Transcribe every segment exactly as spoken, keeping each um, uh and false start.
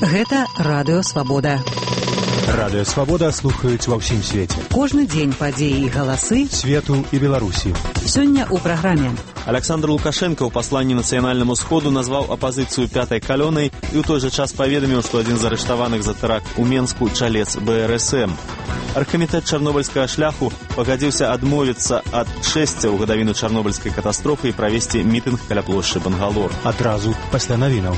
Гэта Радыё Свабода. Радыё Свабода слухаюць ва ўсім свеце. Кожны дзень падзеі і галасы свету і Беларусі. Сёння ў праграме. Александр Лукашенко ў пасланні нацыянальнаму сходу назваў апазіцыю пятай калёнай і ў той жа час паведаміў, што адзін з арыштаваных за тэракт у Менску чалец бэ эр эс эм. Аргкамітэт чарнобыльскага шляху пагадзіўся адмовіцца ад чэсця ў гадавіну чарнобыльскай катастрофы і правесці мітынг каля плошчы Бангалор. Адразу пасля навінаў.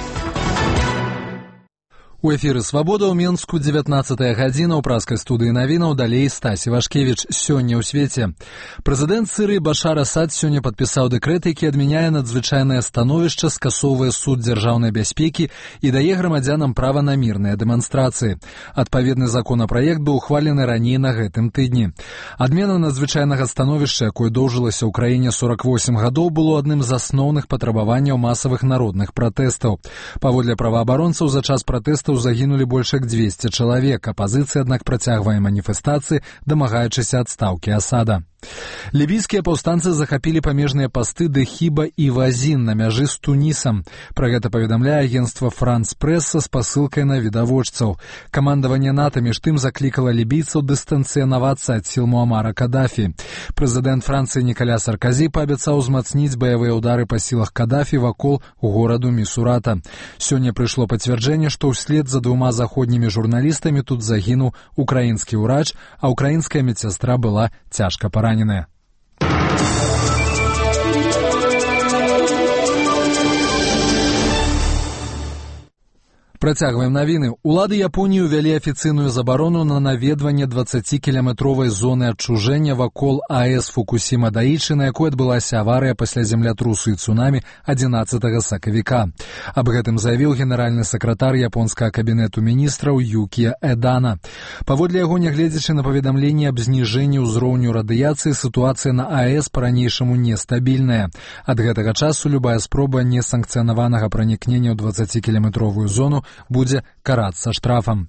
У эфіры «Свабода» ў Менску дзевятнаццатая гадзіна ў праскай студыі навінаў, далей Стасі Вашкевіч. Сёння ў свеце. Прэзідэнт Сірыі Башар Асад сёння падпісаў дэкрэт, які адмяняе надзвычайнае становішча, скасоўвае суд дзяржаўнай бяспекі і дае грамадзянам права на мірныя дэманстрацыі. Адпаведны законапраект быў ухвалены раней на гэтым тыдні. Адмена надзвычайнага становішча, якое доўжылася ў краіне сорак восем гадоў, было адным з асноўных патрабаванняў масавых народных пратэстаў. Паводле праваабаронцаў, за час пратэстаў загінулі больш як дзвесце чалавек. Апазіцыя, аднак, працягвае маніфестацыі, дамагаючыся адстаўкі Асада. Лібійскія паўстанцы захапілі памежныя пасты Дэхіба і Вазін на мяжы з Тунісам. Пра гэта паведамляе агенцтва Франс Прэс са спасылкай на відавочцаў. Камандаванне НАТО між тым заклікала лібійцаў дыстанцыянавацца ад сіл Муамара Кадафі. Прэзідэнт Францыі Нікаля Сарказі паабяцаў узмацніць баявыя ўдары па сілах Кадафі вакол гораду Місурата. Сёння прыйшло пацвярджэнне, што ўслед за двума заходнімі журналістамі тут загінуў украінскі ўрач, а украінская медсястра была цяжка паранена. Працягваем навіны. Улады Японіі ўвялі афіцыйную забарону на наведванне дваццацікіляметровай зоны адчужэння вакол АЭС Фукусіма-Даічы, на якой адбылася аварыя пасля землятрусу і цунамі адзінаццатага сакавіка. Аб гэтым заявіў генеральны сакратар японскага кабінету міністраў Юкія Эдана. Паводле яго, нягледзячы на паведамленні аб зніжэнні ўзроўню радыяцыі, сітуацыя на АЭС па-ранейшаму нестабільная. Ад гэтага часу любая спроба несанкцыянаванага пранікнення ў дваццацікіляметровую зону будзе карацца штрафам.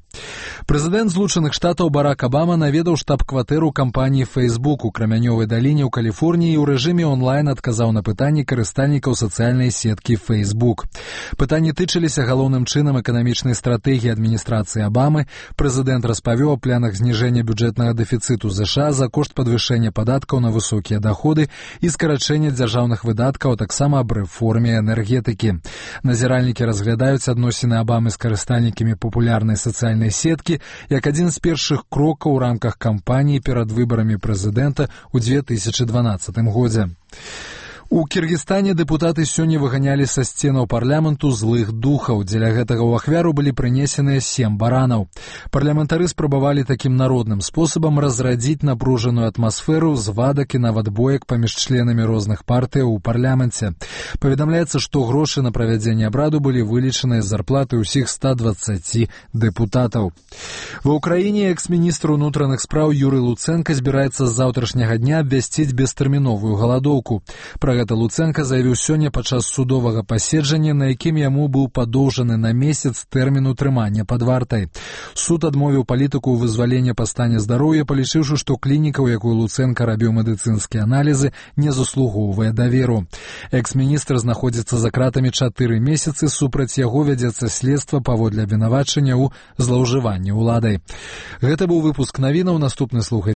Прэзідэнт Злучаных Штатаў Барак Абама наведаў штаб-кватэру кампаніі Facebook у Крамянёвай даліне ў Каліфорніі і ў рэжыме онлайн адказаў на пытанні карыстальнікаў сацыяльнай сеткі Facebook. Пытанні тычыліся галоўным чынам эканамічнай стратэгіі адміністрацыі Абамы. Прэзідэнт распавёў аб планах зніжэння бюджэтнага дэфіцыту ЗША за кошт падвышэння падаткаў на высокія даходы і скарачэння дзяржаўных выдаткаў, а таксама аб рэформе энергетыкі. Назіральнікі разглядаюць адносіны Абамы з карыстальнікамі папулярнай сацыяльнай сеткі як адзін з першых крокаў у рамках кампаніі перад выбарамі прэзідэнта ў дзве тысячы дванаццатым годзе. У Кіргізстане дэпутаты сёння выганялі са сценаў парламенту злых духаў. Дзеля гэтага ў ахвяру былі прынесеныя сем баранаў. Парламентары спрабавалі такім народным спосабам разрадзіць напружаную атмасферу, звадак і нават боек паміж членамі розных партыяў у парламенце. Паведамляецца, што грошы на правядзенне абраду былі вылічаныя з зарплаты ўсіх ста дваццаці дэпутатаў. Ва ўкраіне экс-міністр унутраных спраў Юрый Луценка збіраецца з заўтрашняга дня абвясціць бестэрміновую галадоўку. Пра гэта Луценка заявіў сёння падчас судовага паседжання, на якім яму быў падоўжаны на месяц тэрмін утрымання пад вартай. Суд адмовіў палітыку ў вызваленні па стане здароўя, палічыўшы, што клініка, у якой Луценка рабіў медыцынскія аналізы, не заслугоўвае даверу. Экс-міністр знаходзіцца за кратамі чатыры месяцы, супраць яго вядзецца следства паводле абвінавачання ў злоўжыванні ўладай. Гэта быў выпуск навінаў, наступны слухай